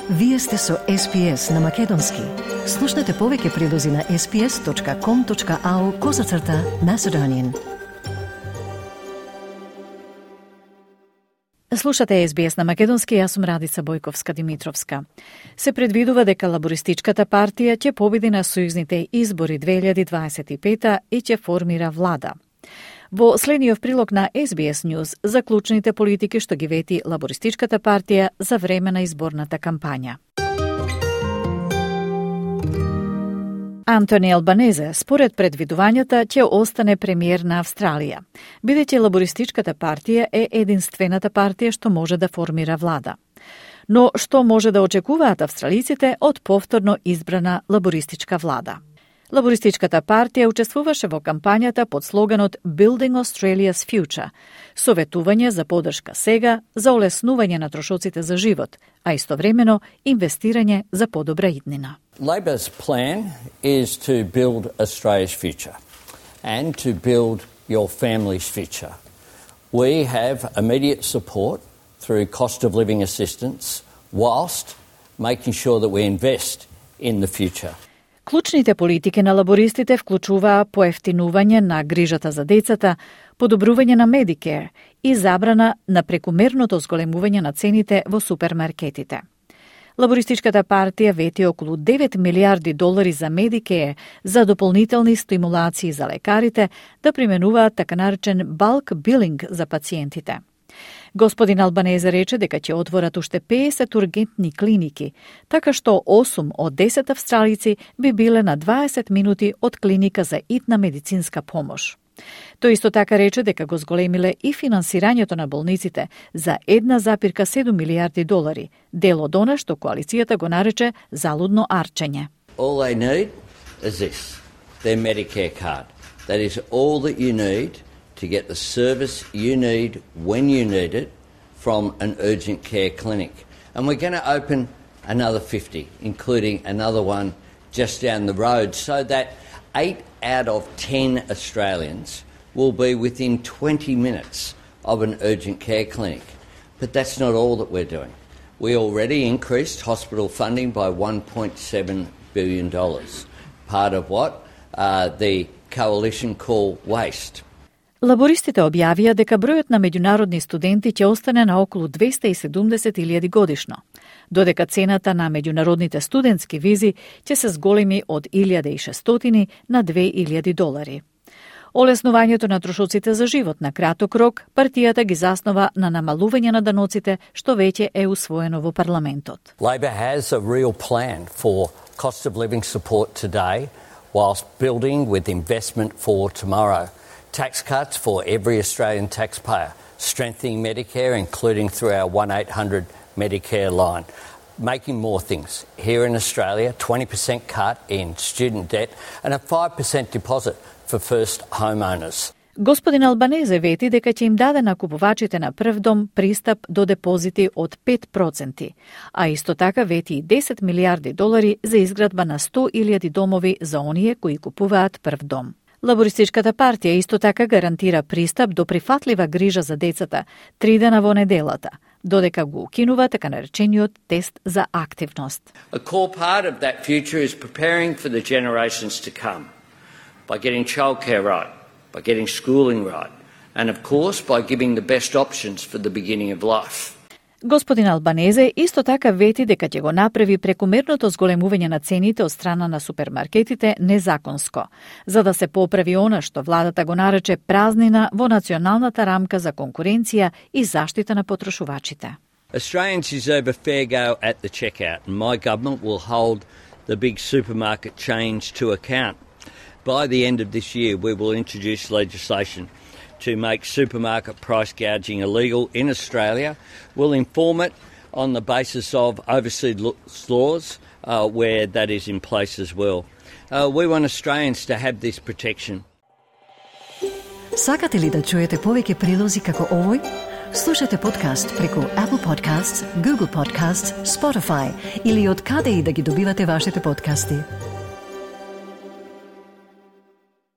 Вие сте со SPS на Македонски. Слушнете повеќе прилози на sps.com.au/Macedonian. Слушате SBS на Македонски, јас сум Радица Бојковска-Димитровска. Се предвидува дека Лабористичката партија ќе победи на сојузните избори 2025 и ќе формира влада. Во следниот прилог на SBS News за клучните политики што ги вети Лабористичката партија за време на изборната кампања. Антони Албанезе, според предвидувањата, ќе остане премиер на Австралија, бидејќи Лабористичката партија е единствената партија што може да формира влада. Но што може да очекуваат австралиците од повторно избрана лабористичка влада? Лабористичката партија учествуваше во кампањата под слоганот Building Australia's Future, советување за поддршка сега, за олеснување на трошоците за живот, а истовремено инвестирање за подобра иднина. Labor's plan is to build Australia's future and to build your family's future. We have immediate support through cost of living assistance whilst making sure that we invest in the future. Клучните политики на лабористите вклучуваа поевтинување на грижата за децата, подобрување на Medicare и забрана на прекумерното зголемување на цените во супермаркетите. Лабористичката партија вети околу $9 милиарди за Medicare за дополнителни стимулации за лекарите да применуваат така наречен bulk billing за пациентите. Господин Албанезе рече дека ќе отворат уште 50 ургентни клиники, така што 8 од 10 австралици би биле на 20 минути од клиника за итна медицинска помош. Тој исто така рече дека го зголемиле и финансирањето на болниците за $1,7 милиарди, дел од она што коалицијата го нарече залудно арчење. All they need is this, their Medicare card. That is all that you need to get the service you need when you need it from an urgent care clinic. And we're going to open another 50, including another one just down the road, so that 8 out of 10 Australians will be within 20 minutes of an urgent care clinic. But that's not all that we're doing. We already increased hospital funding by $1.7 billion, part of what the coalition call WASTE. Лабористите објавија дека бројот на меѓународни студенти ќе остане на околу 270,000 годишно, додека цената на меѓународните студентски визи ќе се зголеми од $1,600 на $2,000. Олеснувањето на трошоците за живот на краток рок, партијата ги заснова на намалување на даноците, што веќе е усвоено во парламентот. Labor has a real plan for cost of living support today, whilst building with investment for tomorrow. Tax cuts for every Australian taxpayer, strengthening Medicare, including through our 1-800 Medicare line, making more things. Here in Australia, 20% cut in student debt and a 5% deposit for first homeowners. Господин Албанезе вети дека ќе им даде на купувачите на прв дом пристап до депозити од 5%, а исто така вети и $10 милиарди за изградба на 100,000 домови за оние кои купуваат прв дом. Лабористичката партија исто така гарантира пристап до прифатлива грижа за децата 3 дена во неделата, додека го укинува така наречениот тест за активност. A core part of that future is preparing for the generations to come by getting childcare right, by getting schooling right, and of course by giving the best options for the beginning of life. Господин Албанезе исто така вети дека ќе го направи прекумерното зголемување на цените од страна на супермаркетите незаконско, за да се поправи она што владата го нарече празнина во националната рамка за конкуренција и заштита на потрошувачите. Australians deserve a fair go at the checkout, and my government will hold the big supermarket chains to account. By the end of this year, we will introduce legislation to make supermarket price gouging illegal in Australia. We'll inform it on the basis of overseas laws where that is in place as well. We want Australians to have this protection. Сакате ли да чуете повеќе прилози како овој? Слушате подкаст преку Apple Podcasts, Google Podcasts, Spotify или од каде и да ги добивате вашите подкасти.